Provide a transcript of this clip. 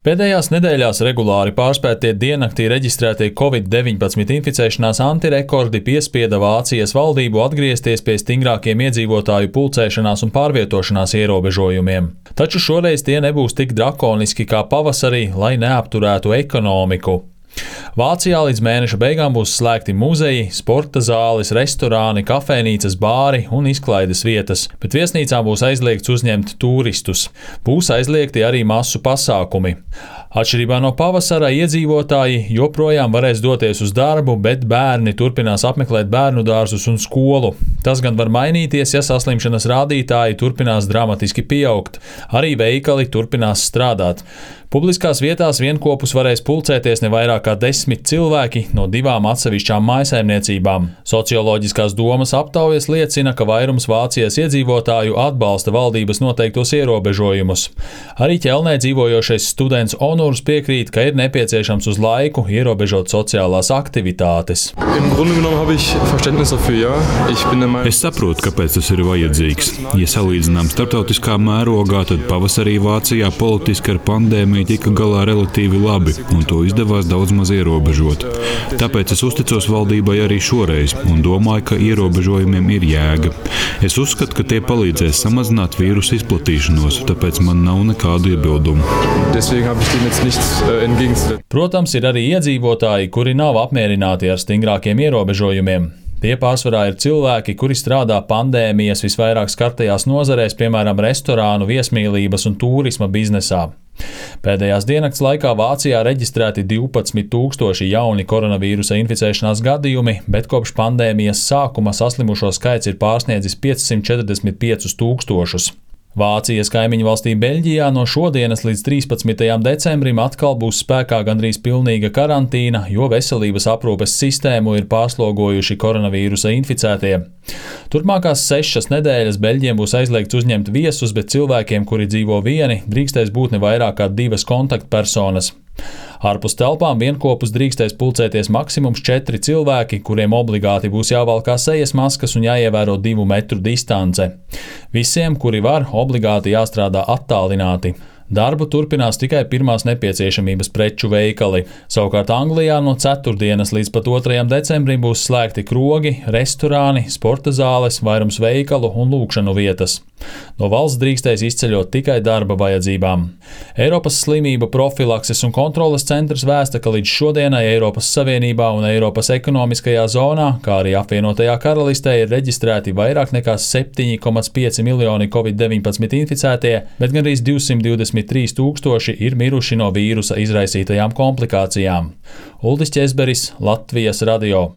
Pēdējās nedēļās regulāri pārspētie diennaktī reģistrētie Covid-19 inficēšanās antirekordi piespieda Vācijas valdību atgriezties pie stingrākiem iedzīvotāju pulcēšanās un pārvietošanās ierobežojumiem. Taču šoreiz tie nebūs tik drakoniski kā pavasarī, lai neapturētu ekonomiku. Vācijā līdz mēneša beigām būs slēgti muzeji, sporta zāles, restorāni, kafejnīcas, bāri un izklaides vietas, bet viesnīcām būs aizliegts uzņemt turistus. Būs aizliegti arī masu pasākumi. Atšķirībā no pavasara iedzīvotāji joprojām varēs doties uz darbu, bet bērni turpinās apmeklēt bērnu dārzus un skolu. Tas gan var mainīties, ja saslimšanas rādītāji turpinās dramatiski pieaugt. Arī veikali turpinās strādāt. Publiskās vietās vienkopus varēs pulcēties ne vairāk kā 10 cilvēki no 2 atsevišķām mājsaimniecībām. Socioloģiskās domas aptaujas liecina, ka vairums Vācijas iedzīvotāju atbalsta valdības noteiktos ierobežojumus. Arī Ķelnē dzīvojošais students Onurs piekrīt, ka ir nepieciešams uz laiku ierobežot sociālās aktivitātes. Es saprotu, kāpēc tas ir vajadzīgs. Ja salīdzinām starptautiskā mērogā, tad pavasarī Vācijā politiski ar pandēmiju tika galā relatīvi labi, un to izdevās daudz maz ierobežot. Tāpēc es uzticos valdībai arī šoreiz un domāju, ka ierobežojumiem ir jēga. Es uzskatu, ka tie palīdzēs samazināt vīrusu izplatīšanos, tāpēc man nav nekādu iebildumu. Protams, ir arī iedzīvotāji, kuri nav apmierināti ar stingrākiem ierobežojumiem. Tie pārsvarā ir cilvēki, kuri strādā pandēmijas visvairāk skartajās nozarēs, piemēram, restorānu, viesmīlības un tūrisma biznesā. Pēdējās diennakts laikā Vācijā reģistrēti 12,000 jauni koronavīrusa inficēšanās gadījumi, bet kopš pandēmijas sākuma saslimušo skaits ir pārsniedzis 545,000. Vācijas kaimiņu valstī Beļģijā no šodienas līdz 13. decembrim atkal būs spēkā gandrīz pilnīga karantīna, jo veselības aprūpes sistēmu ir pārslogojuši koronavīrusa inficētie. Turpmākās 6 nedēļas Beļģiem būs aizliegts uzņemt viesus, bet cilvēkiem, kuri dzīvo vieni, drīkstēs būt ne vairāk kā 2 kontaktpersonas. Ārpus telpām vienkopus drīkstēs pulcēties maksimums 4 cilvēki, kuriem obligāti būs jāvalkā sejas maskas un jāievēro 2 metru distance. Visiem, kuri var, obligāti jāstrādā attālināti. Darbu turpinās tikai pirmās nepieciešamības preču veikali. Savukārt Anglijā no 4. līdz pat 2. decembrim būs slēgti krogi, restorāni, sporta zāles, vairums veikalu un lūgšanu vietas. No valsts drīkstēs izceļot tikai darba vajadzībām. Eiropas slimību profilakses un kontroles centrs vēsta, ka līdz šodienai Eiropas Savienībā un Eiropas ekonomiskajā zonā, kā arī apvienotajā karalistē, ir reģistrēti vairāk nekā 7,5 miljoni Covid-19 inficētie, bet gandrīz 223,000 ir miruši no vīrusa izraisītajām komplikācijām. Uldis Ķezberis, Latvijas radio.